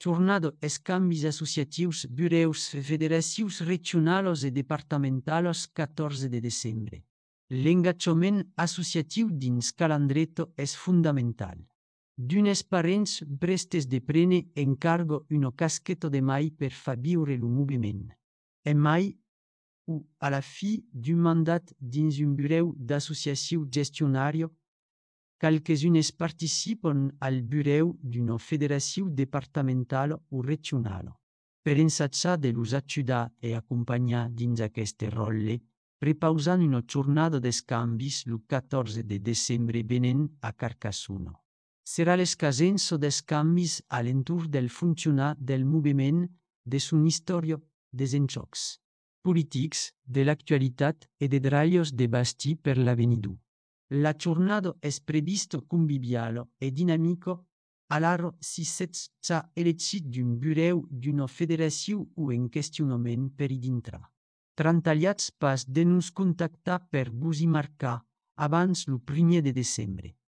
Jornada escambis associatius bureus federacius regionalos e departamentalos 14 de desembre. L'engagement associatiu dins calendreto és fundamental. D'unes parents prestes de prene encargo una casqueta de mai per fa viure lo moviment. E mai, u a la fi d'un mandat dins un bureu d'associatiu gestionario, qualques-unes participen al bureu d'una federació departamental o regional. Per ensatjar de los ajudar e acompanyar dins aquest rol, prepausant una jornada d'escambis el 14 de desembre venent a Carcassonne. Serà l'escasenso d'escambis a l'entorn del funcionar del moviment, de son història, des enxocs polítics, de l'actualitat e de drallos de basti per l'avenido. La jornada és previsto convivialo e dinamico, alaro si s'ha elegit d'un bureu d'una federació o en questionament per hi dintre. Trantaliats pas de nos contactar per vos hi marcar abans el 1er de desembre.